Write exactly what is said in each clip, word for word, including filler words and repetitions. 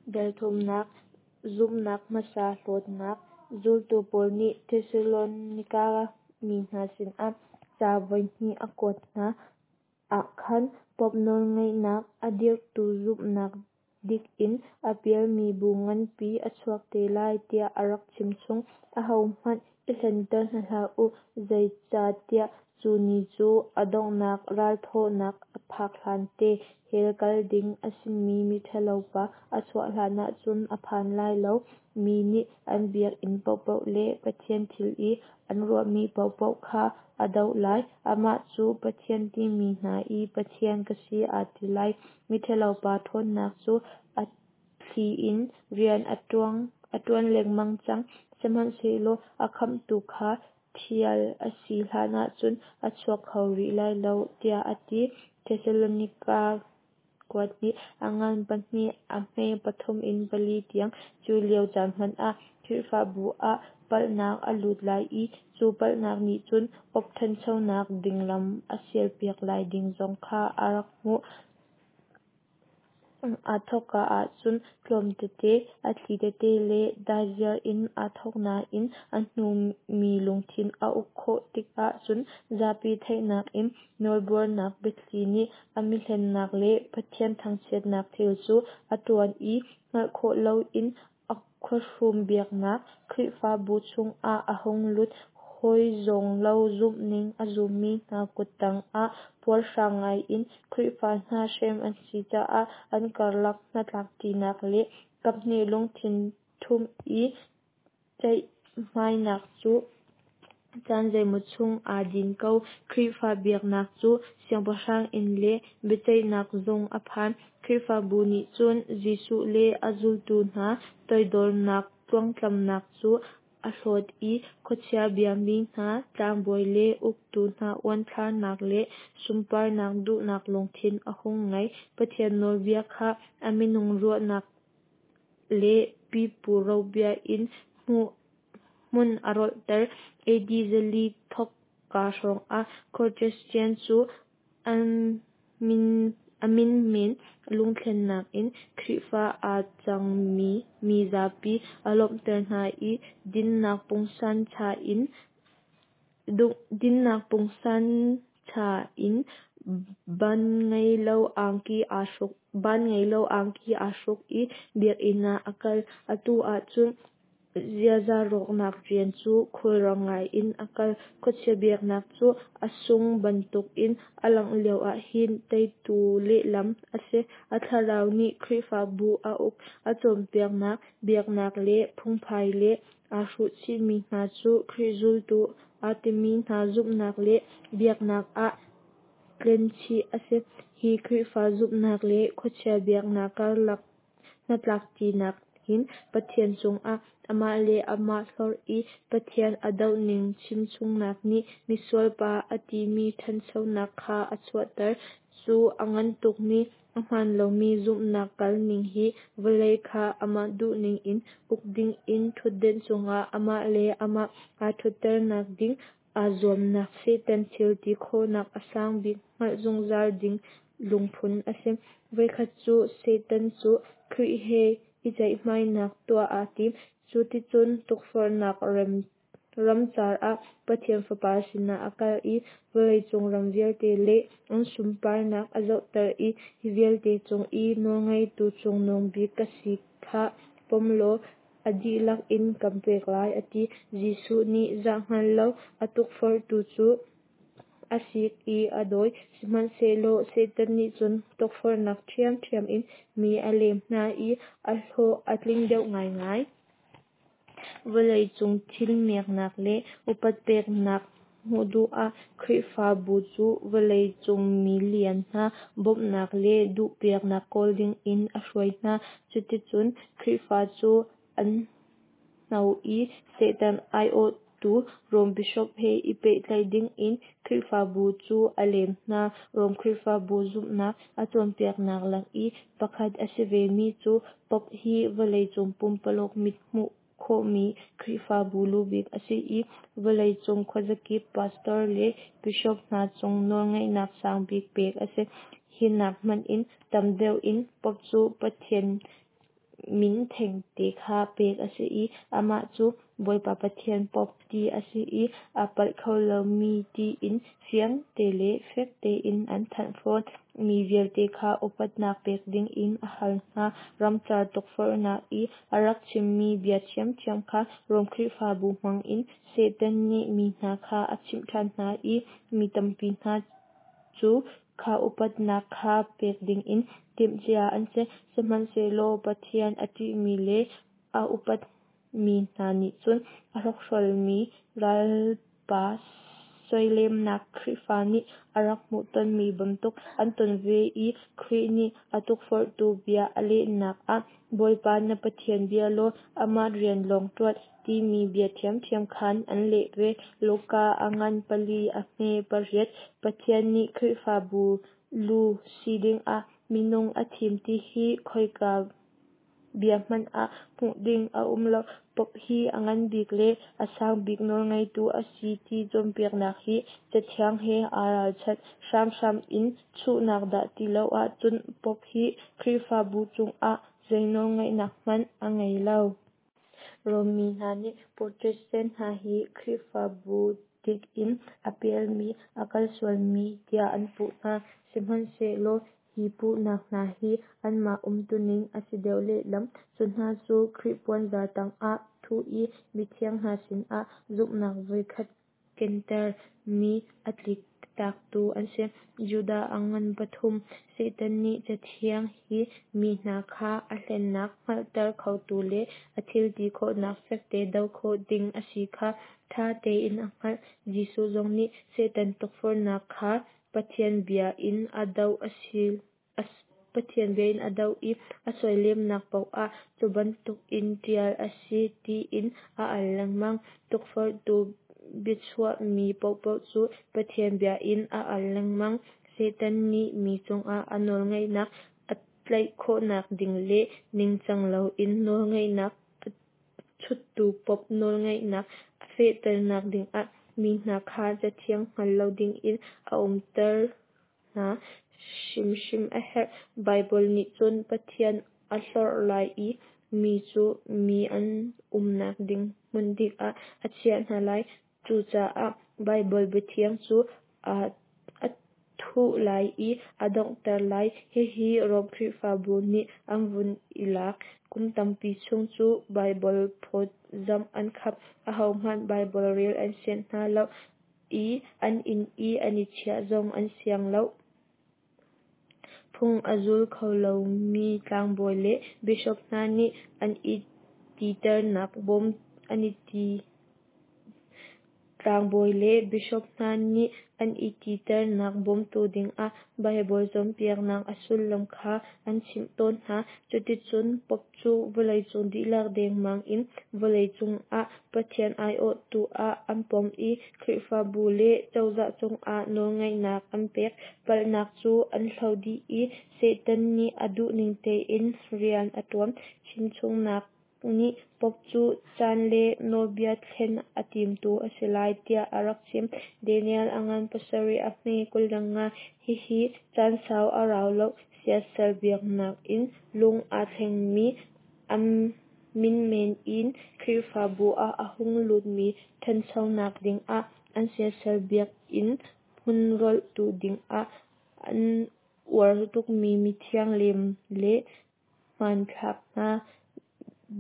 Dal thumnak, Zumhnak hmasa hlawtnak. Zultu Paul nih Thesalonika mi hna sinah ca voihnih a kuat hna ah khan Pope nawlngeihnak a dirhtu zumhnak dik in a pialmi bu nganpi a chuak te lai tiah a rak chimchung. Ahohmanh i hlenter hna hlah u, zeicahtiah cu ni cu a donghnak ralthawhnak a phak hlante, hell kal ding a simi miṭhalopa a chuah hlanah cun a phan lai lo. Mi nih an biakinn paohpaoh le Pathian thil i an ruahmi paohpaoh kha a doh lai. Amah cu Pathian timi hna i Pathian ka si aa ti lai. Miṭhalopa ṭhawnnak cu a thli in rian a ṭuan lengmang cang, sihmanhsehlaw a khamhtu kha ṭhial a si hlanah cun a chuak kho rih lai lo, tiah a ti. Thesalonika kuathnih, a ngan pahnih a hme pathum in pali tiang. Cu lio caan hmanh ah Khrihfabu ah palhnak a lut lai i cu palhnak nih cun Pope ṭhanchonak ding lam a sialpiak lai ding zong kha a rak hmuh. Aa thawkka ahcun tlawm tete, a thli tete le daiziar in aa thawk nain a hnu mi lungthin a uk khawh tikah cun zapi theihnak in nawlbuarnak biathli nih a mihlennak le Pathian thangchiatnak thil cu a ṭuan i hngalh khawh loin a khuahrum biaknak Khrihfabu chungah a hung lut. Hawi zawng lo zumhning a zummi hna kut tangah puarhrang ngaiin Khrihfa hna hrem an si caah an karlak hnatlakṭinak le kaphnih lungthin ṭhumh i ceihmainak cu caan zeimaw chung aa din ko. Khrihfa biaknak cu siangpahrang inn le biaceihnak zung a phan. Khrihfabu nih cun Jesuh le a zultu hna toidornak tluangtlamnak cu a hlawt i khuachia biami hna, tlangbawi le uktu hna uanthlarnak le sunparnak duhnak lungthin a hung ngei. Pathian nawlbia kha a minung ruahnak le pipu robia in hmun a rolhter. A D zali thawkka hrawngah Constantine cu a min men lungthlennak in Khrihfa aa cangmi mizapi a lawmhter hna i dinnak pungsan ṭha in baan ngei lo angki aa hruk baan ngei lo angki aa hruk i biakinn ah a kal. Atu ahcun ziaza rawknak rian cu khulrang ngaiin a kal. Khuachia biaknak cu a sung bantukin a langh lioah hin teitu lehlam a si. A thlarau nih Khrihfabu a uk. A cawnpiaknak, biaknak le phungphai le aa hruhchihmi hna cu Khrih zultu aa timi hna zumhnak le biaknak ah tlenchih a si. Hi Khrihfa zumhnak le khuachia biaknak karlak hnatlakṭinak hin Pathian cungah amah le amah hlorh i Pathian a dohning chimchungnak nih misualpa a timi ṭhanchonak kha a chuahter. Cu a ngan tukmi, a hmaan lomi zumhnak kalning hi vawlei kha amah duhning in uk dingin ṭhutdenh cungah amah le amah aa ṭhutternak ding aa zuamnak Satan thil ti khawhnak a sang bik hngalh zungzal ding lungphun a si. Voikhat cu Satan cu Khrih he i ceihmainak tuah aa tim. Cu ticun tukforhnak ramcar ah Pathian Fapa sinah a kal i vawleicung ram vialte le an sunparnak a zohter i hi vialte cung i nawlngeitu cungnung bik ka si kha pom law a dihlak in kan pek lai a ti. Jesuh nih zah hngal lo a tukforhtu cu a sik i a dawi. Sihmanhsehlaw Satan nih cun tukforhnak ṭhiamṭhiam in mi a lem hna i a hlawh a tling deuh ngaingai. Vawleicung thil miaknak le upat peknak hmuh duh ah Khrihfabu cu vawleicung milian hna bawmhnak le duhpiaknak kawl dingin a hruai hna. Cuticun Khrihfa cu an hno i Satan aiawhtu Rom Bishop he i pehtlaih dingin Khrihfabu cu a lem hna. Rom Khrihfabu zumhnak a cawnpiaknak lak i pakhat a si vemi cu Pope hi vawleicung pumpaluk mit hmuh khawhmi Khrihfabu lubik a si i vawleicung khuazakip pastor le bishop hna cung nawlngeihnak sangbik pek a si. Hi nak hmanh in tam deuh in Pope cu Pathian min thengte kha pek a si i amah cu Bawipa Pathian Pope ti a si i a palh kho lomi tiin fiang te le fek tein an thanh fawn. Mi vialte kha upatnak pek dingin a hal hna. Ramcar tukforhnak i a rak chimmi bia ṭhiamṭhiam kha Rom Khrihfabu hmangin Satan nih mi hna kha a chimh ṭhan hna i mi tampi hna cu kha upatnak kha pek dingin timhcia an si. Sihmanhsehlaw Pathian a ṭihmi le a upatmi hna nih cun a hrokhrolmi ralpa soilemnak Khrihfa nih a rak hmuhtonmi bantuk an ton ve i Khrih nih a tukforhtu bia a lehnak ah Bawipa na Pathian bia law amah rian lawng ṭuan timi bia ṭhiamṭhiam khan an leh ve. Luka a ngan pali a hme pariat. Pathian nih Khrihfabu lu si dingah minung a thim ti hi khoika bia hmanh ah hmuh ding a um lo. Pope hi a nganbik le a sangbik nawlngeitu a si ti cawnpiaknak hi Cathiang he aa ralchanh. Hramhram in chuhnak dah ti lo ahcun Pope hi Khrihfabu cungah zei nawlngeihnak hmanh a ngei lo. Rom mi hna nih Protestant hna hi Khrihfabu dik in a pialmi, a kal sualmi tiah an puh hna. Sihmanhsehlaw hi puhnak hna hi anmah umtuning a si deuh lehlam. Cu hna cu Khrih puanzar tangah thuh i mithiang hna sinah zumhnak voikhat kenter mi a tlik taktu an si. Judah a ngan pathum. Satan nih Cathiang hi mi hna kha a hlennak hngalhter khotu le a thilti khawhnak fekte doh khawh ding a si kha ṭha tein a hngalh. Jesuh zong nih Satan tukforhnak kha Pathian bia in a doh Pathian bia in a doh i a soilemnak paoh ah cu bantukin ṭial a si tiin a al lengmang. Tukforhtu biachuahmi paohpaoh cu Pathian bia in a al lengmang. Satan nih mi cungah a nawlngeihnak a tlaih khawhnak ding le ningcang loin nawlngeihnak a chuttu Pope nawlngeihnak a fehternak dingah mi hna kha Cathiang hngal lo dingin a umter hna hrimhrim a herh. Baibal nih cun Pathian a hlorh lai i mi cu mi an umnak ding hmun dik ah a chiah hna lai. Cucaah Baibal biathiang cu a thuh lai i a donghter lai. Hihi Rom Khrihfabu nih an vun i lak. Kum tampi chung cu Baibal phawtzamh an khap. Ahohmanh Baibal rel an sianh hna lo i an inn i an i chiah zong an siang lo. Phung a zul kho lomi tlangbawi le bishop hna nih an i titernak bawm an i ti Tlangbawi le bishop hna nih an i titernak bawmtu dingah Baibal cawnpiaknak a sullam kha an chimh tawn hna. Cuticun Pope cu vawleicung dihlak dengmang in vawleicung ah Pathian aiawhtu ah an pom i Khrihfabu le cozah cungah nawlngeihnak an pek. Palhnak cu an hloh dih i Satan nih a duhning tein rian a ṭuan. Chimchungnak nih Pope cu caan le nawlbia thlen a timtu a si lai tiah a rak chim. Daniel a ngan pasarih a hme kul le nga. Hihi caan sau a rau lo. Siasal biaknak in lung aa thlengmi, a min men in Khrihfabu ah a hung lutmi ṭhanchonak dingah an siasal biakinn hmun rolhtu dingah an uar tukmi mithiang lem le hmanthlak hna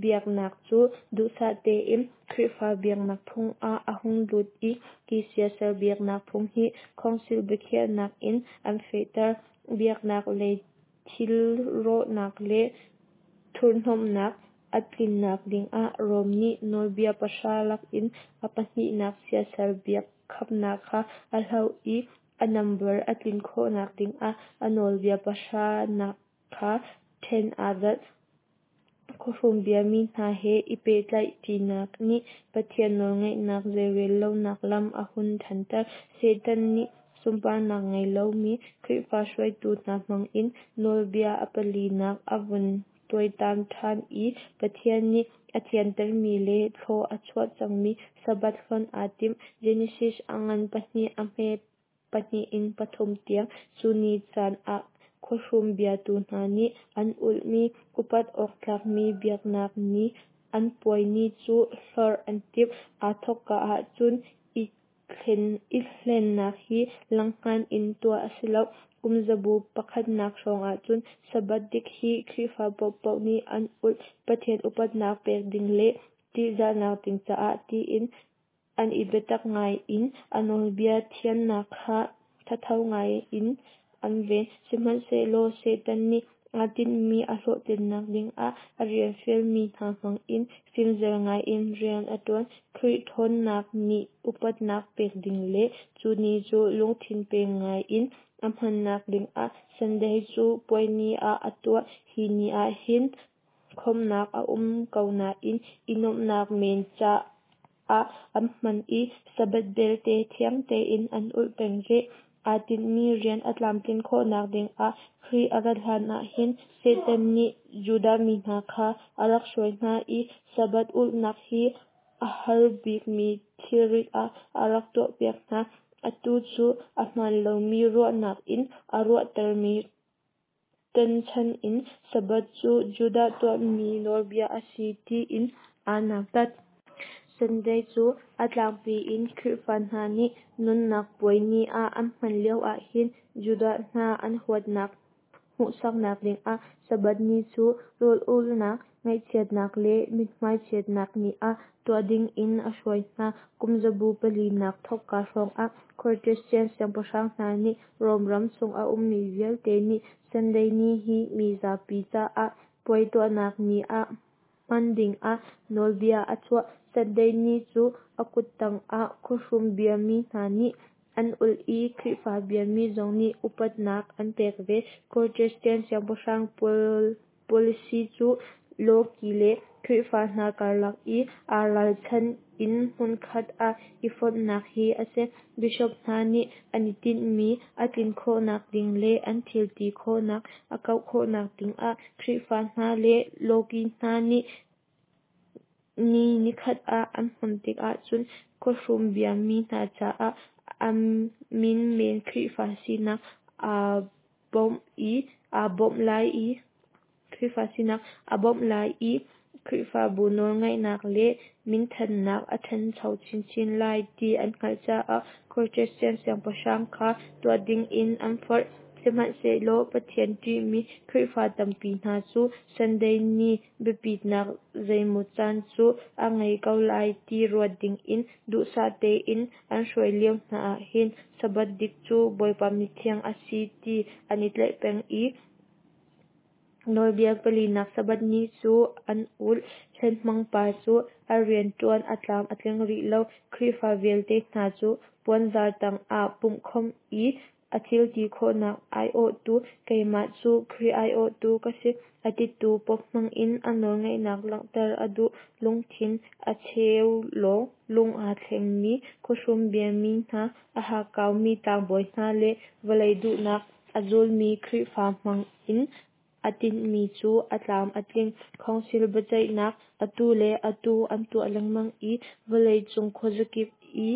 biaknak cu duhsah tein Khrihfa biaknak phung ah a hung lut i hi siasal biaknak phung hi Council biakhiahnak in an fehter. Biaknak lei thil rawhnak le thurhhnawmhnak a tlinnak dingah Rom nih nawlbia pahra lakin a pahnihnak siasal biak khamnak kha a hloh i a nambar a tlin khawhnak dingah a nawlbia pahranak kha ṭhen aa zalh. Khuahrum biami hna he i pehtlaih ṭinak nih Pathian nawlngeihnak zeirel lonak lam a hun ṭhanter. Satan nih sunparnak ngei lomi Khrihfa hruaitu hna hmangin nawlbia a palinak a vun tuaitam ṭhan i Pathian nih a thiantermi le thlua a chuah cangmi Sabbath hlonh aa tim. Genesis a ngan pahnih a hme pahnih in pathum tiang. Cu ni caan ah Khuahrum biatu hna nih an ulhmi upat awk tlakmi biaknak ni, an puai ni cu hlorh an timh. Aa thawkka ahcun i hlennak hi langhngan in tuah a si lo. Kum zabu pakhatnak hrawng ahcun Sabbath dik hi Khrihfa paohpaoh nih an ulh. Pathian upatnak pek ding le ṭihzahnak ding caah tiin an i biatak ngai i a nawlbia thiannak kha thatho ngai in an ven. Sihmanhsehlaw Satan nih aa tinhmi a hlawhtlinnak dingah a rian fialmi hna hmangin fimzer ngaiin rian a ṭuan. Khrih ṭhawnnak ni upatnak pek ding le cu ni cu lungthin pe ngai in a hmannak dingah Sunday cu puai ni ah a tuah. Hi ni ah hin khawmhnak a um ko nain i nuamhnak men caah an hman i Sabbath belte thiang tein an ulh peng rih. Aa tinhmi rian a tlamtlin khawhnak dingah Khrih a rat hlanah hin Satan nih Judah mi hna kha a rak hruai hna i Sabbath ulhnak hi a har bikmi thilrit ah a rak tuahpiak hna. Atu cu a hmaan lomi ruahnak in a ruahtermi ṭanhchan in Sabbath cu Judah tuahmi nawlbia a si tiin aa nautat. Sunday cu a tlangpi in Khrihfa hna nih nunnak puai ni ah an hman lio ahhin Judah hna an huatnak hmuhsaknak dingah Sabbath ni cu rawl ulhnak, ngaihchiatnak le mithmai chiatnak ni ah tuah dingin a hruai hna. Kum zabu palinak thawkka hrawngah Constantine siangpahrang hna nih Rom ram chung a ummi vialte nih Sunday ni hi mi zapi caah puai tuahnak ni ah hman dingah nawlbia a chuah. Sunday ni cu a kuttang ah khuahrum biami hna nih an ulh i Khrihfa biami zong nih upatnak an pek ve. Constantine siangpahrang policy cu lawki le Khrihfa hna karlak i aa ralchan in hmunkhat ah i fonhnak hi a si. Bishop hna nih an i tinhmi a tlin khawhnak ding le an thil ti khawhnak a kauh khawhnak dingah Khrihfa hna le lawki hna nih ni nikhat ah an hman tikah cun khuahrum biami hna caah a min men Khrihfa sinak aa bawmh i aa bawmh lai i Khrihfa sinak a bawmh lai i Khrihfabu nawlngeihnak le minthannak a ṭhancho chinchin lai ti an hngalh caah Constantine siangpahrang kha tuah dingin an forh. Sihmanhsehlaw Pathian ṭihmi Khrihfa tampi hna cu Sunday ni biapitnak zeimaw can cu a ngei ko lai ti ruat dingin duhsah tein an hruai lio hna ahhin Sabbath dik cu Bawipa mithiang a si ti an i tlaih peng i nawlbia palinak Sabbath ni cu an ulh. Hlenhmangpa cu a rianṭuan a tlam a tling rih lo. Khrihfa vialte hna cu puanzar tangah pumhkhawmh i a thilti khawhnak aiawhtu keimah cu Khrih aiawhtu ka si a titu Pope hmangin a nawlngeihnak langhter a duh. Lungthin a cheu lawng lung aa thlengmi khuahrum biami hna, a hakkaumi tlangbawi hna le vawlei duhnak a zulmi Khrihfa hmangin a tinhmi cu a tlam a tling. Council biaceihnak atu le atu an tuah lengmang i vawlei cung khuazakip i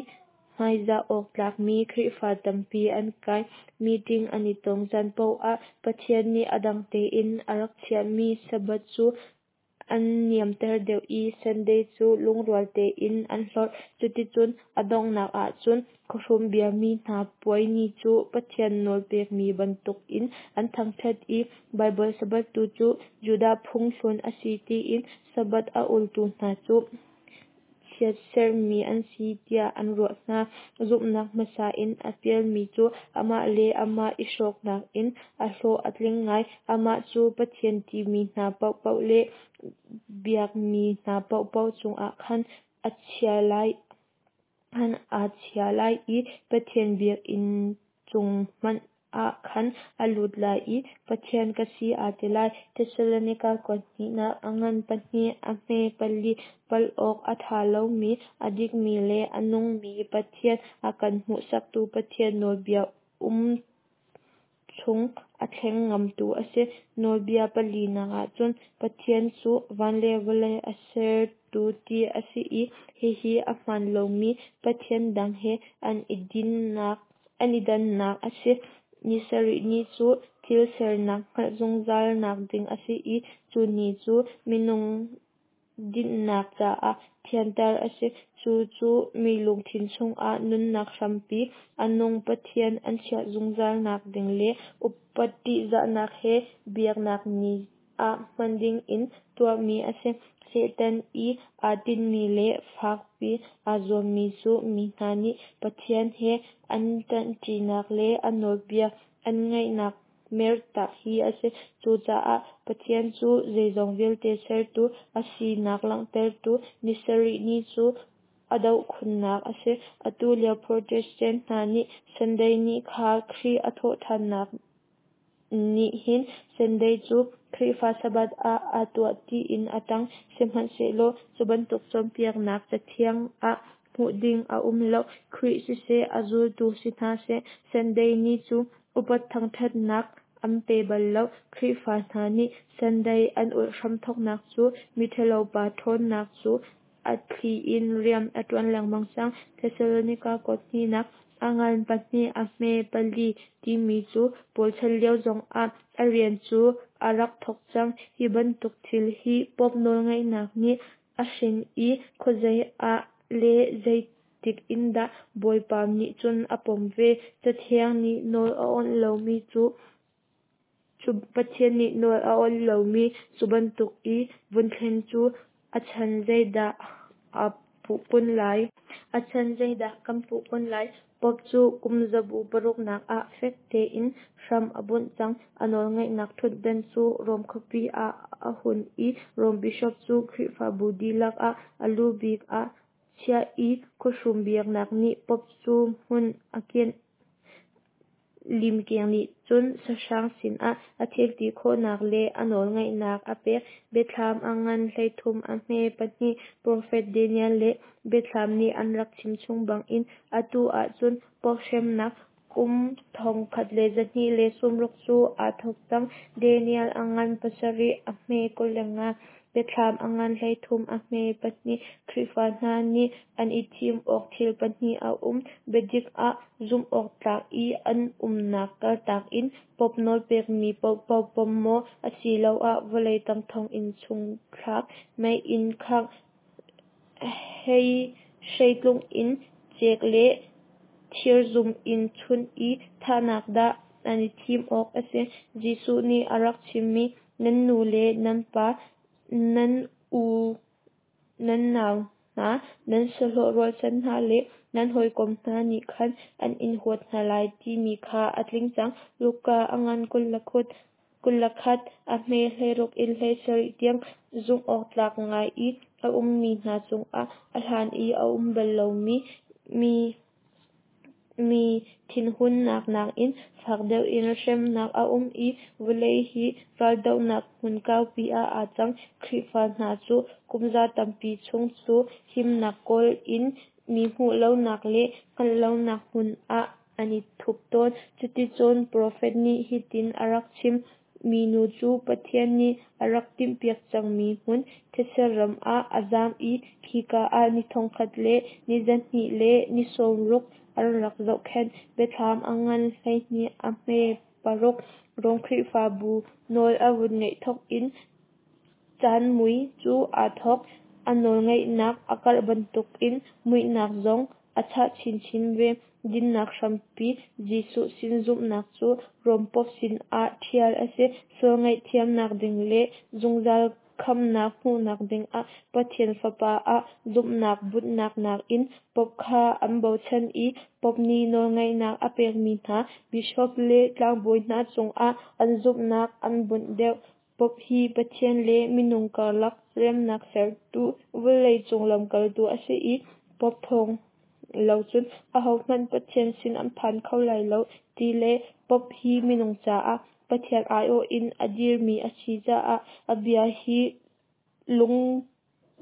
hmaizah awk tlakmi Khrihfa tampi an kai. Meeting an i ton caan paoh ah Pathian nih a dang tein a rak chiahmi Sabbath cu an niamter deuh i Sunday cu lungrual tein an hlorh. Cuticun a donghnak ahcun khuahrum biami hna puai ni cu Pathian nawl pekmi bantukin an thangṭhat i Baibal Sabbath tu cu Judah phung hlun a si tiin Sabbath a ultu hna cu chiatserhmi an si tiah an ruah hna. Zumhnak hmasa in a pialmi cu amah le amah i hrawknak in a hlawh a tling ngai. Amah cu Pathian timi hna paohpaoh le biakmi hna paohpaoh cungah khan a chia lai khan aa chia lai i Pathian biakinn chung hmanh ah khan a lut lai i Pathian ka si aa ti lai. Thesalonika kuat hnihnak a ngan pahnih a hme pali palh awk a ṭha lomi, a dikmi le a nungmi Pathian a kan hmuhsaktu Pathian nawlbia um chung a thleng ngamtu a si. Nawlbia palinak ahcun Pathian cu van le vawlei a sertu ti a si i hihi a hmaan lomi pathian dang he an i dinnak an i dannak a si. Ni sarih ni cu thil sernak hngalh zungzal nak ding a si i cu ni cu minung dinhnak caah thianter a si. Cu cu mi lungthin chungah nunnak hrampi, a nung Pathian an chiah zungzal nak ding le upat ṭihzahnak he biaknak ni ah hman dingin tuahmi a si. Satan i aa tinhmi le fakpi aa zuammi cu mi hna nih Pathian he an ṭanṭinak le a nawlbia an ngaihnak mertak hi a si. Cucaah Pathian cu zeizong vialte sertu a sinak langhtertu ni sarih ni cu a doh khunnak a si. Atu lio Protestant hna nih Sunday ni kha Khrih a thawhṭhannak nih hin Sunday cu Khrihfa Sabbath ah aa tuah tiin a ṭang. Sihmanhsehlaw cu bantuk cawnpiaknak Cathiang ah hmuh ding a um lo. Khrih siseh, a zultu si hna seh, Sunday ni cu upat thangṭhatnak an pe bal lo. Khrihfa hna nih Sunday an ulh hramthawknak cu miṭhalo pa ṭhawnnak cu a thli in rian a ṭuan lengmang cang. Thesalonika kuat hnihnak a ngan pahnih a hme pali timi cu Paul chan lio zongah a rian cu a rak thawk cang. Hi bantuk thil hi Pope nawlngeihnak nih a hrin i khuazei ah le zeitik in dah Bawipa nih cun a pom ve. Cathiang nih nawl a awnh lomi cu Pathian nih nawl a awnh lomi cu bantuk i vun thlen cu a chan zeidah aa puh kun lai? A chan zeidah kan puh kun lai? Pope cu kum zabu paruknak ah fek tein hram a bunh cang. A nawlngeihnak ṭhutdan cu Rom khuapi ah a hun i Rom bishop cu Khrihfabu dihlak ah a lu bik ah chiah i khuahrum biaknak nih Pope cu hmun a kianh. Limkeng nih cun sahrang sinah a thil ti khawhnak le a nawlngeihnak a pek. Biathlam a ngan hleithum a hme pahnih. Profet Daniel le Biathlam nih an rak chimchung bangin atu ahcun Pope hremnak kum thongkhat le zahnih le sawmruk cu aa thawk cang. Daniel a ngan pasarih a hme kul le nga. Biathlam a ngan hleithum a hme pahnih. Khrihfa hna nih an i thim awk thil pahnih a um. Biadik ah zumh awk tlak i an umnak kaltak in Pope nawlpekmi paohpaoh pom maw, asiloah vawlei tang thonginn chung thlak, mei in khangh, hreitlung in cek le thirzum in chunh i thahnak dah an i thim awk a si. Jesuh nih a rak chimmi, nan nu le nan pa, nan u nan nau hna, nan sahlawh rualchan hna le nan hawikom hna nih khan an in huat hna lai timi kha a tling cang. Luka a ngan kul le kut kul le khat a hme hleiruk in hleisarih tiang zumh awk tlak ngai i a ummi hna cungah a hlan i a um bal lomi mi mi thinhunnak nakin fak deuh in hremnak a um i vawlei hi raldohnak hmun kaupi ah aa cang. Khrihfa hna cu kumza tampi chung cu himnak kawl in mi hmuh lonak le hngalh lonak hmun ah an i thup tawn. Cuticun profet nih hitin a rak chim: Minu cu Pathian nih a rak timhpiak cangmi hmun, thetse ram ah a zam i khika ah ni thongkhat le ni zahnih le ni sawmruk an rak zohkhenh. Biathlam a ngan hleihnih a hme paruk. Rom Khrihfabu nawl a vun ngeih thawk in caan mui cu aa thawk. A nawlngeihnak a karh bantukin muihnak zong a chah chinchin ve. Dinnak hrampi Jesuh sin zumhnak cu Rom Pope sinah ṭhial a si. Sual ngaihthiamnak ding le zungzal khamhnak hmuhnak dingah Pathian Fapa ah zumhnak bunhnak nakin Pope kha an bochan i Pope nih nawlngeihnak a pekmi hna bishop le tlangbawi hna cungah an zumhnak an bunh deuh. Pope hi Pathian le minung karlak remnak sertu vawleicung lamkaltu a si i Pope thawng lo cun ahohmanh Pathian sin an phan kho lai lo ti le Pope hi minung caah Pathian aiawh in a dirmi a si caah a bia hi lung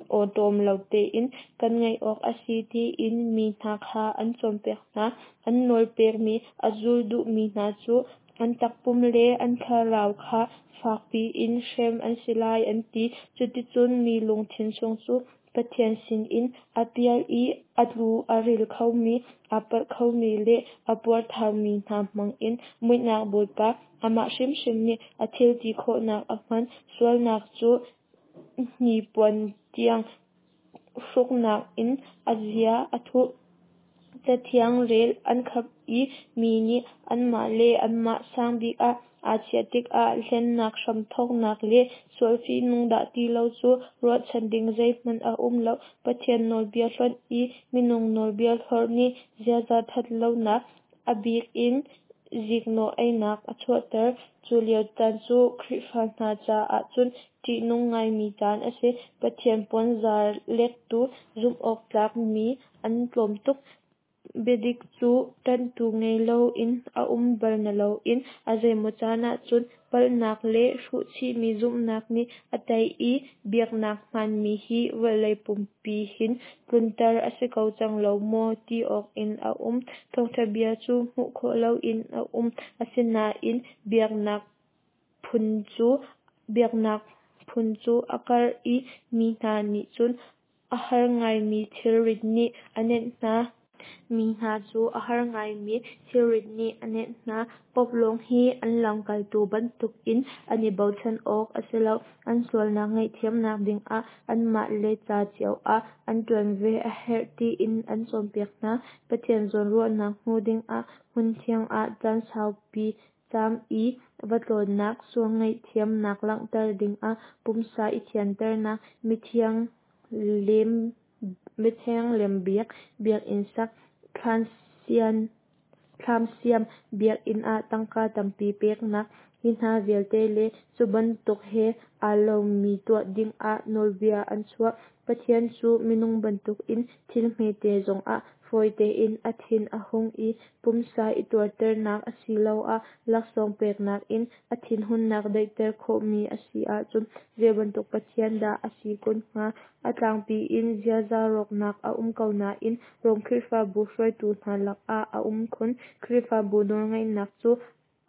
awṭawm lo tein kan ngaih awk a si tiin mi hna kha an cawnpiak hna. An nawl pekmi a zul duhmi hna cu an takpum le an thlarau kha fakpi in hrem an si lai an ti. Cuticun mi lungthin chung cu Pathian sinin a pial i a tlu a ril khomi, aa palh khomi le a puarthaumi hna hmangin muihnak bawipa amah hrimhrim nih a thil ti khawhnak a hman. Sualnak cu hnipuan tiang hruknak in a zia a thuh. Cathiang rel an khap i mi nih anmah le anmah sang bik ah aa chiah tikah hlennak hramthawknak le sual fihnung dah ti lo cu ruahchan ding zeihmanh a um lo. Pathian nawlbia hlonh i minung nawlbia hlorh nih ziaza ṭhatlonak, a bik in ziknawh einak a chuahter. Cu lio caan cu Khrihfa hna caah cun ṭihnung ngaimi caan a si. Pathian puanzar lektu zumhawktlak mi an tlawm tuk. Biadik cu ṭanhtu ngei loin a um bal na loin a zeimaw caan ahcun palhnak le hruhchihmi zumhnak nih a tei i biaknak hmaanmi hi vawlei pumpi hin tlunter a si ko cang lo maw ti awk in a um. Thawngṭha bia cu hmuh khawh loin a um, asinain biaknak phun cu biaknak phun cu a karh i mi hna nih cun a har ngaimi thilrit nih a nenh hna. Mi hna cu a har ngaimi thilrit nih a nenh hna. Pope lawng hi an lamkaltu bantukin an i bochan awk a si lo. An sualnak ngaihthiamnak dingah anmah le ca cio ah an ṭuan ve a herh tiin an cawnpiak hna. Pathian zawnruahnak hmu dingah hmunthiang ah caan saupi caam i va tlawnnak, sual ngaihthiamnak langhter dingah pumsa i thianternak, mithiang lem mithiang lem biak, biakinn sak, thlam siam, biakinn ah tangka tampi peknak, hi hna vialte le cu bantuk he aa lomi tuah dingah nawlbia an chuah. Pathian cu minung bantukin thil hmete zongah fawi tein a thin a hung i pumsa i tuarternak asiloah laksawng peknak in a thinhunnak daihter khawhmi a si ahcun zeibantuk Pathian dah a si kun hnga? A tlangpi in ziaza rawknak a um ko nain Rom Khrihfabu hruaitu hna lakah a um khun. Khrihfabu nawlngeihnak cu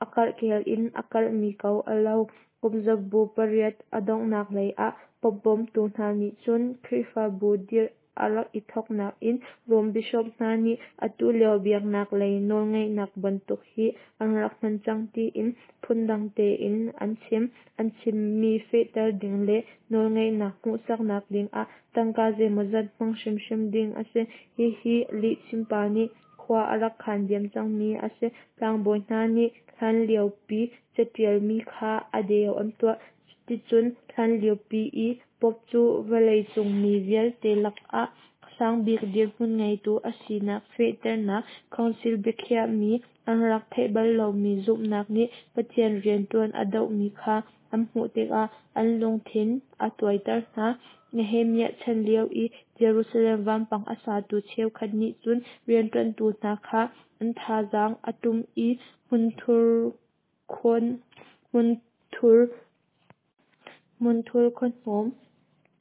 a karhkel in a karhmi ko a lo. Kumzabu pariat a donghnak lei ah Pope bawmtu hna nih cun Khrihfabu dirh a rak i thawknak in Rom bishop hna nih atu lio biaknak lei nawlngeihnak bantuk hi an rak hman cang tiin phundang tein an chim. An chimmi fehter ding le nawlngeihnak hmuhsaknak dingah tangka zeimawzat hmang hrimhrim ding a si. Hihi lihchimpa nih khua a rak khan diam cangmi a si. Tlangbawi hna nih hlanliopi caṭialmi kha a deu an tuah. Cuticun hlanliopi i Pope cu vawleicung mi vialte lakah sangbik dirhmun ngeitu a sinak fehternak council biakhiahmi an rak theih bal lomi zumhnak nih Pathian rianṭuan a dohmi kha an hmuh tikah an lungthin a tuaiter hna. Nehemiah chan lio i Jerusalem vampang a satu cheukhat nih cun rianṭuantu hna kha an thazaang a ṭum i hmunthur khawn hmunthur hmunthur khuahnawm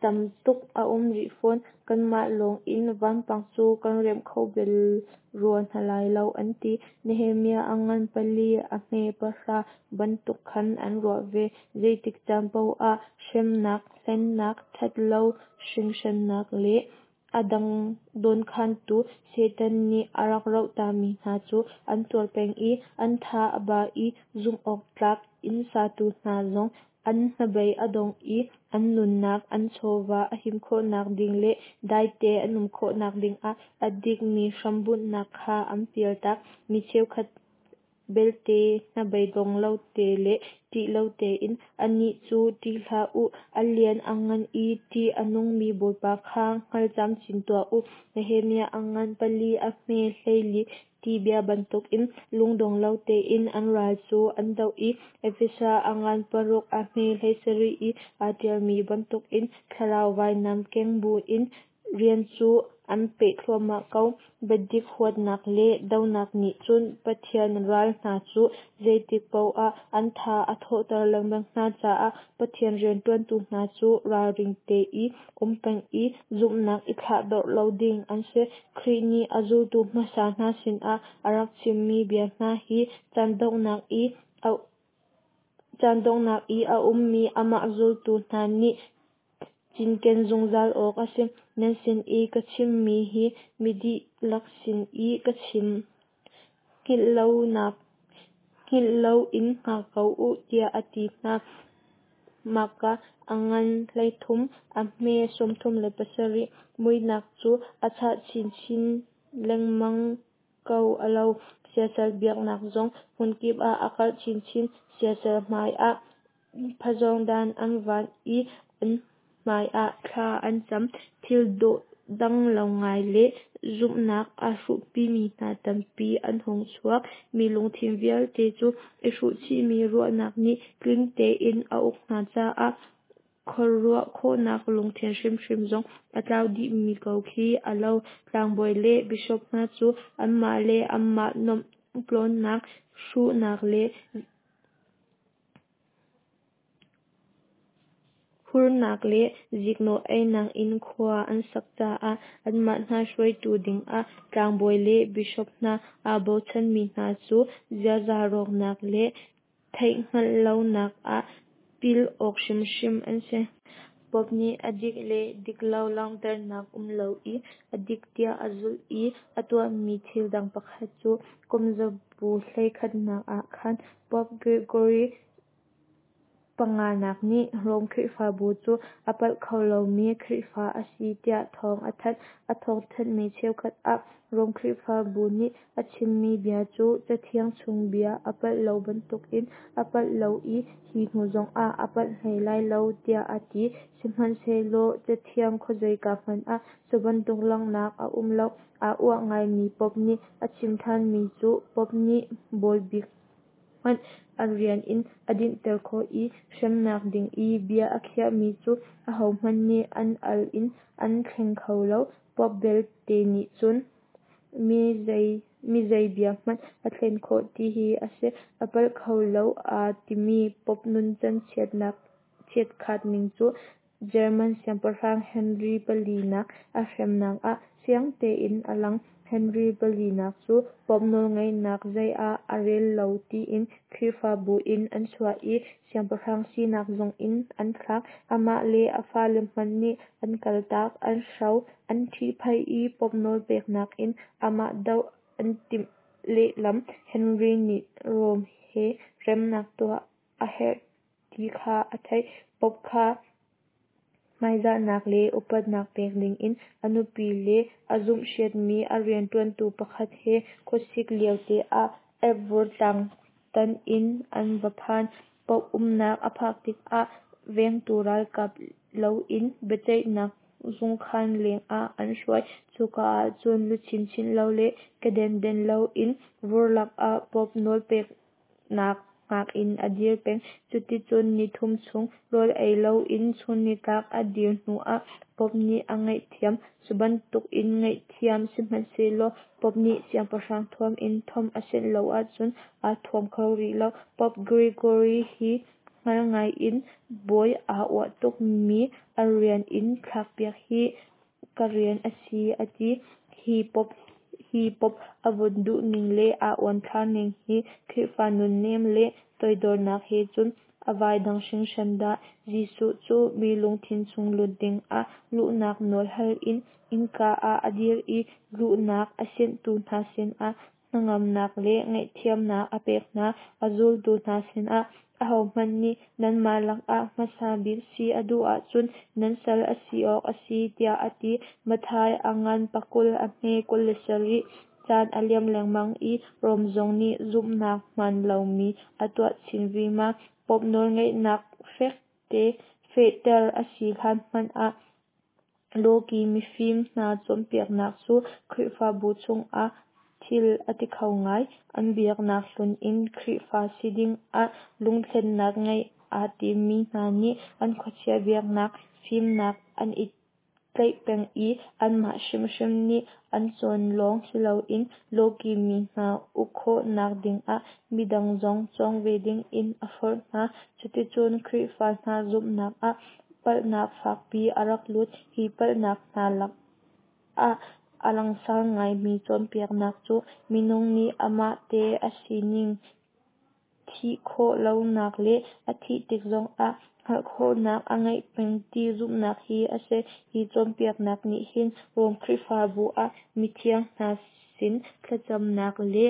tam tuk a um rih fawn. Kanmah lawng in vampang cu kan remh kho bal rua hna lai lo an ti. Nehemiah a ngan pali a hme pahra bantuk khan an ruah ve. Zeitik caan paoh ah hremnak, hlennak, ṭhatlo hringhrannak le a dang dawnkhantu Satan nih a rak rohtami hna cu an tuar peng i an tha a ba i zumhawktlak inn satu hna zong an hnabei a dong i an nunnak, an chawva a him khawhnak ding le daite an um khawhnak dingah a dikmi hrambunhnak kha an pialtak. Mi cheukhat belte hnabeidong lo te le ṭih lo tein annih cu ṭih hlah u, a lian a ngan i ṭih a nungmi Bawipa kha hngal camcin tuah u. Nehemiah a ngan pali a hme hleili ti bia bantukin lungdong lo tein an ral cu an doh i Efesa a ngan paruk a hme hleisarih i aa ṭialmi bantukin thlarau vainam keng buin rian cu an peh thluahmah ko. Biadik huatnak le dohnak nih cun Pathian ral hna cu zeitik paoh ah an tha a thawhter lengmang hna caah Pathian rianṭuantu hna cu ralring te i um peng i zumhnak i thlahdorh lo ding an si. Khrih nih a zultu hmasa hna sinah a rak chimmi bia hna hi caan donghnak i a caan donghnak i a ummi amah zultu hna nih cinken zungzal awk a si. Nan sin i ka chimmi hi mi dihlak sin i ka chim: Hngilh loin hngak ko u, tiah a ti hna. Marka a ngan hleithum, a hme sawmthum le pasarih. Muihnak cu a chah chinchin lengmang ko a lo. Siasal biaknak zong hmunkip ah a karh chinchin. Siasal hmai ah phazawngdan an van i an hmai ah thla an cam. Thil dawhdang lo ngai le zumhnak a hruhpimi hna tampi an hung chuak. Mi lungthin vialte cu i hruhchihmi ruahnak nih tling tein a uk hna caah khuaruah khawhnak lungthin hrimhrim zong a tlau dihmi ko khi a lo. Tlangbawi le bishop hna cu anmah le anmah nuamh tlawnnak, hruhnak le hurnak le ziknawh einak in khua an sak caah anmah hna hruaitu dingah tlangbawi le bishop hna aa bochanmi hna cu ziaza rawknak le theihhngalh lonak ah pil awk hrimhrim an si. Pope nih a dik le diklo langhternak um lo i a dik tiah a zulh i a tuahmi thil dang pakhat cu kumzabu hleikhatnak ah khan Pope Gregory panganak nih Rome Khrihfabu cu a palh kho lomi Khrihfa a si tiah thawng a thanh. A thawngthanhmi cheukhat ah Rome Khrihfabu nih a chimmi bia cu Cathiang chung bia a palh lo bantukin a palh lo i hi hnu zongah a palh hlei lai lo tiah a ti. Sihmanhsehlaw Cathiang khuazeika hmanh ah cubantuk langhnak a um lo. Aa uah ngaimi Pope nih a chim ṭhanmi cu Pope nih bawibik hmanh a rian in a dinhter khawh i hremnak ding i bia a khiahmi cu ahohmanh nih an al in an thleng kho lo. Pope belte nih cun mi zei bia hmanh a thlen khawh ti hi a si. A palh kho lo aa timi Pope nuncan chiatkhat ning cu German siangpahrang Henry palinak a hremnak ah fiang tein a lang. Henry palinak cu Pope nawlngeihnak zei ah a rel lo tiin Khrihfabu in an chuah i siangpahrang sinak zongin an thlak. Amah le a fale hmanh nih an kaltak, an hro, an ṭhihphaih i Pope nawlpeknak in amah doh an timh lehlam. Henry nih Rome he remnak tuah a herh ti kha a theih. Pope kha hmaizahnak le upatnak pek dingin a nupi le a zumhriatmi a rianṭuantu pakhat he khuasik liote ah Alps vurtlang tan in an va phan. Pope umnak a phak tikah vengtu ralkap loin biaceihnak zungkhan lengah an hruai. Cuka ahcun luchin chinh lo le keden denh loin vur lakah Pope nawlpeknak hngak in a dir peng. Cuticun nithum chung rawl ei loin chunnitlak a dir hnuah Pope nih a ngaihthiam. Cubantukin ngaihthiam sihmanhsehlaw Pope nih siangpahrang thuam in thuam a sianh lo ahcun aa thuam kho rih lo. Pope Gregory hi hngal ngai in bawi aa uah tukmi a rian in thlakpiak hi ka rian a si a ti. Hi Pope hi Pope a vun duhning le aa uanthlar ning hi Khrihfa nunnem le toidornak he cun a vai dang hringhran dah. Jesuh cu mi lungthin chung lut dingah luhnak nawl hal in innka ah a dir i luhnak a sianhtu hna sinah hnangamnak le ngaihthiamnak a pek hna. A zultu hna sinah ahohmanh nih nanmah lakah hmasa bik si a duh ahcun nan sal a si awk a si tiah a ti. Matthai a ngan pakul a hme kul le sarih. Caan a liam lengmang i Rom zong nih zumhnak hmaan lomi a tuah chin vima. Pope nawlngeihnak fehter a si hlan hmanh ah Lawki mifim hna cawnpiaknak cu Khrihfabu chungah thil a ti kho ngai. An biaknak hlun in Khrihfa si dingah lungthlennak ngeih aa timmi hna nih an khuachia biaknak fimnak an i tlaih peng i anmah hrimhrim nih an cawn lawng siloin lawki mi hna uk khawhnak dingah midang zong cawng ve dingin a forh hna. Cuticun Khrihfa hna zumhnak ah palhnak fakpi a rak lut. Hi palhnak hna lakah a langsar ngaimi cawnpiaknak cu minung nih amah te a sining thih khawh lonak le a thih tik zongah hngalh khawhnak a ngeih peng ti zumhnak hi a si. Hi cawnpiaknak nih hin Rom Khrihfabu ah mithiang hna sin thlacamnak le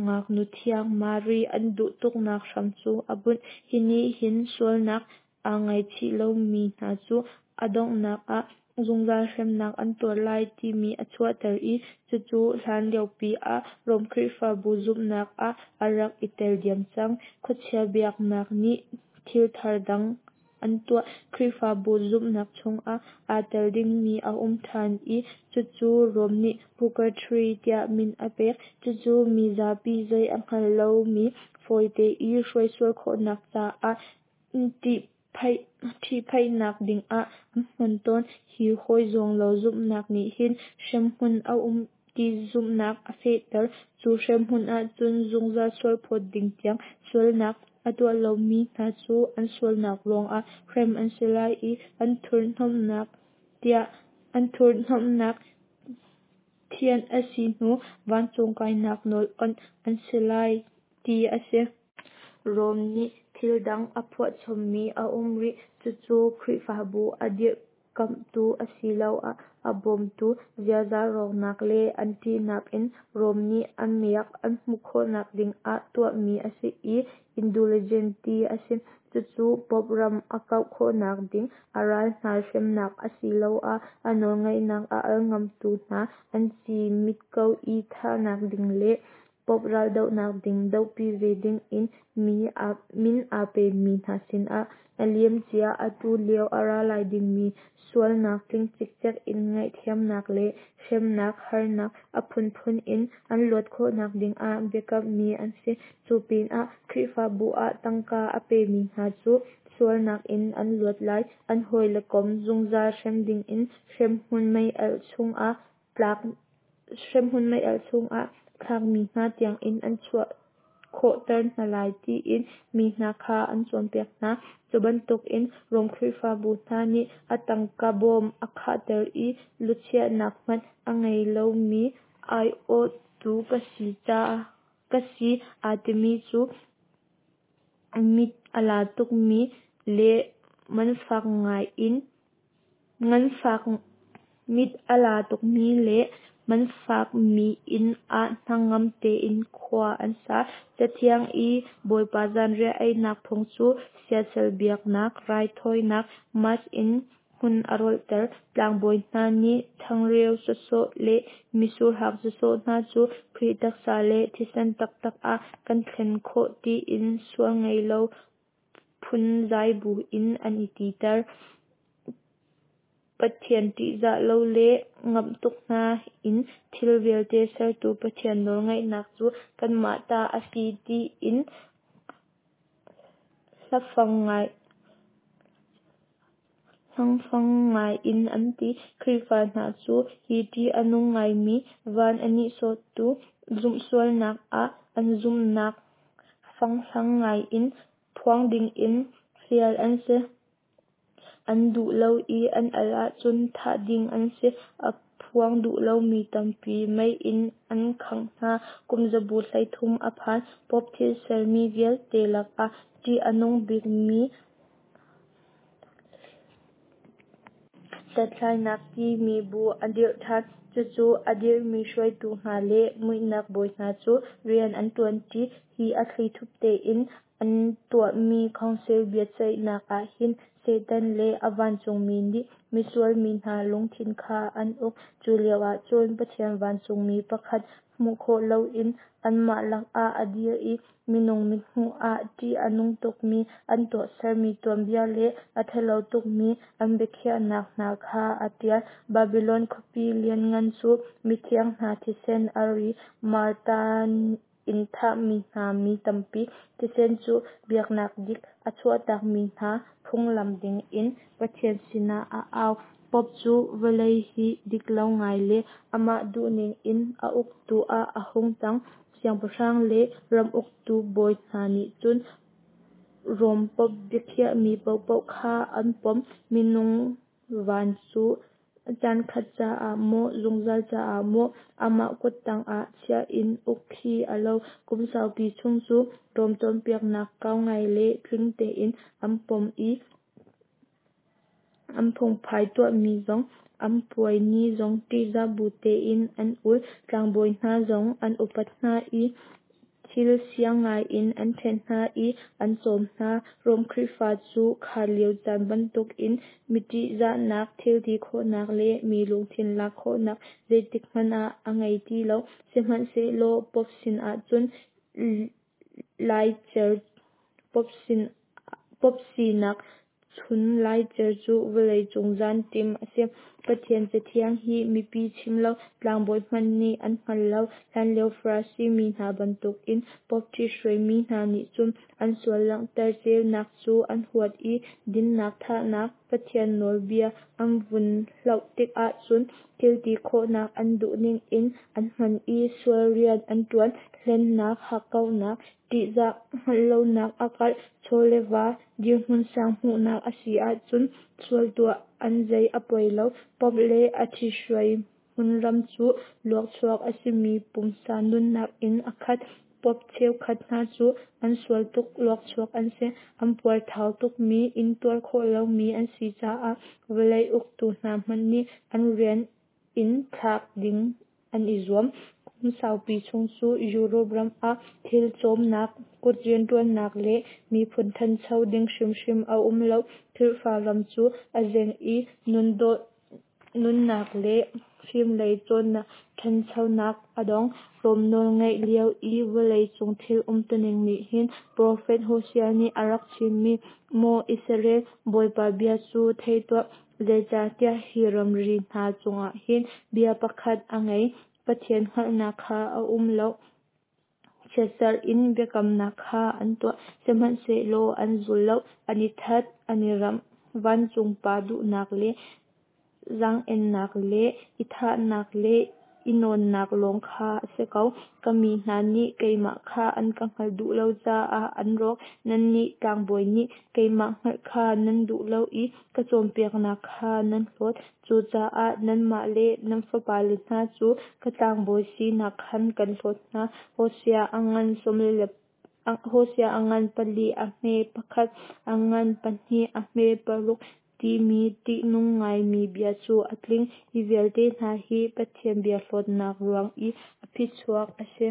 ngaknu thiang Mary an duh tuknak hram cu a bunh. Hi nih hin sualnak aa ngaichih lomi hna cu a donghnak ah zungzal hremnak an tuar lai timi a chuahter i cucu hlan liopi ah Rom Khrihfabu zumhnak ah a rak i tel diam cang. Khuachia biaknak nih thil thar dang an tuah. Khrihfabu zumhnak chungah aa tel dingmi a um ṭhan i cucu Rom nih Purgatory tiah min a pek. Cucu mi zapi zei a hngal lomi fawite i hruaisual khawhnak caah ṭhihphaihnak dingah an hman tawn. Hi hawi zuang lo zumhnak nih hin hremhmun a um ti zumhnak a fehter. Cu hremhmun ahcun zungzal sualphawt ding tiang sualnak a tuah lomi hna cu an sualnak ruangah hrem an si lai i an thurhnomhnak an thurhnomhnak thianh a si hnu vancung kainak nawl awnh an si lai ti a si. Rom nih thil dang a phuahchommi a um rih. Cucu Khrihfabu a dirhkamhtu asiloah a bawmtu, ziaza rawknak le an ṭihnak in Rom nih a miak an hmuh khawhnak dingah tuahmi a si i Indulgence ti a si. Cucu Pope ram a kauh khawhnak ding, a ral hna hremnak asiloah a nawlngeihnak a al ngamtu hna an ci mit ko i thahnak ding le Pope raldohnak ding dohpi ve dingin min aa pemi hna sinah a liamcia, atu lio, a ra lai dingmi sualnak tling cikcek in ngaihthiamnak le hremnak harnak a phunphun in an luat khawhnak dingah biakammi an si. Cu pinah Khrihfabu ah tangka a pemi hna cu sualnak in an luat lai, an hawi le kom zungzal hrem dingin hremhmun meialh chungah thlakmi hna tiangin an chuah khawhter hna lai tiin mi hna kha an cawnpiak hna. Cu bantukin Rom Khrihfabu hna nih a tangka bawm a khahter i luchiahnak hmanh a ngei lomi aiawhtu ka si aa timi cu mit a la tukmi le nganfak mit a la tukmi le nganfakmi inn ah hnangam tein khua an sa. Cathiang i Bawipa zanriah einak phung cu siasal biaknak, raithawinak Mass in hmun a rolhter. Tlangbawi hna nih changreu sawsawh le mitsurhang sawsawh hna cu Khrih taksa le thisen taktak ah kan thlen khawh tiin sual ngei lo phunzai buin an i titer. Pathian ṭihzah lo le ngamh tuk hna in thil vialte sertu Pathian nawlngeihnak cu kanmah ta a si tiin hlangfang ngai in an ti. Khrihfa hna cu hi ṭih a nung ngaimi van a nihsawhtu zumhsualnak ah an zumhnak fanghlang ngai in phuang dingin fial an si. An duh lo i an al ahcun thah ding an si. A phuang duh lomi tampi mei in an khangh hna. Kum zabu hleithum a phan. Pope thil sermi vialte lakah ṭih a nung bikmi Hlathlainak timi bu a dirh ṭhan. Cucu a dirhmi hruaitu hna le muihnak bawi hna cu rian an ṭuanṭi. Hi a thlithup tein an tuahmi council biaceihnak ahhin Satan le a vancungmi nih misual mi hna lungthin kha an uk. Cu lioah cun Pathian vancungmi pakhat hmuh khawh loin anmah lakah a dir i minung mithmuh ah ṭih a nung tukmi an tuahsermi tuanbia le a ṭhalo tukmi an biakhiahnak hna kha a ṭial. Babilon khuapi lianngan cu mithiang hna thisen a ri, martar in thahmi hna mi tampi thisen cu biaknak dik a chuahtakmi hna phunglam dingin Pathian sinah a au. Pope cu vawlei hi diklo ngai le amah duhning in a uktu ah a hung cang. Siangpahrang le ram uktu bawi hna nih cun Rom Pope biakhiahmi paohpaoh kha an pom. Minung van cu caankhat caah maw, zungzal caah maw amah kuttang ah chiah in uk khi a lo. Kum saupi chung cu Rom cawnpiaknak kau ngai le tling tein an pom i An phungphai tuahmi zong, an puai ni zong ṭihzah bu tein an ul. Tlangbawi hna zong an upat hna i thil siang ngai in an ṭhenh hna i an cawm hna. Rom Khrihfa cu kha lio caan bantukin mi ṭihzahnak, thilti khawhnak le mi lungthin lak khawhnak zeitik hmanh ah a ngei ti lo. Sihmanhsehlaw Pope sinah cun laicer Pope sinak chun laicer cu vawleicung zaanṭim a si. Pathian Cathiang hi mipi chim lo, tlangbawi hmanh nih an hngal lo. Hlanlio Farasi mi hna bantukin Pope ṭhithruai mi hna nih cun an sual langhter ceunak cu an huat i dinnak thahnak Pathian nawlbia an vun hloh tikah cun thilti khawhnak an duhning in an hman i sual rian an ṭuan. Hlennak, hakkauhnak, ṭihzah hngalh lonak a karh. Chaw le va, dirhmun sang hmuhnak a si ahcun sual tuah an zei a poi lo. Pope le a ṭhithruai hmunram cu luakchuak a simi pumsa nunnak in a khat. Pope cheukhat hna cu an sual tuk luakchuak an si. An puarthau tukmi, intuar khawh lomi an si caah vawlei uktu hna hmanh nih an rian in thlak ding an i zuam. Kum saupi chung cu Europe ram ah thil cawmnak, kut rianṭuannak le miphun ṭhancho ding hrimhrim a um lo. Khrihfa ram cu a zeng i nundawh nunnak le fimlei cawnnak ṭhanchonak a dong. Rom nawlngeih lio i vawleicung thil umtuning nih hin profet Hosea nih a rak chimmi "Maw Israel, Bawipa bia cu thei tuah, zeicahtiah hi ramri hna chungah hin bia pakhat a ngei, Pathian hngalhnak kha a um lo. Chiatserh in biakamnak kha an tuah, sihmanhsehlaw an zul lo. An i that, an i ramh, vancung Pa duhnak le zaang-ennak le i thahnak le i nawnnak lawng kha a si ko. Ka mi hna nih keimah kha an ka hngalh duh lo caah an rawk. Nannih tlangbawi nih keimah hngalh kha nan duh lo i ka cawnpiaknak kha nan hlawt. Cucaah nanmah le nan fapale hna cu ka tlangbawi sinak khan kan hlawt hna." Hosea a ngan sawm le Hosea a ngan pali a hme pakhat, a ngan pahnih a hme paruk timi ṭihnung ngaimi bia cu a tling. Hi vialte hna hi Pathian bia hlawtnak ruang i a phichuak a si.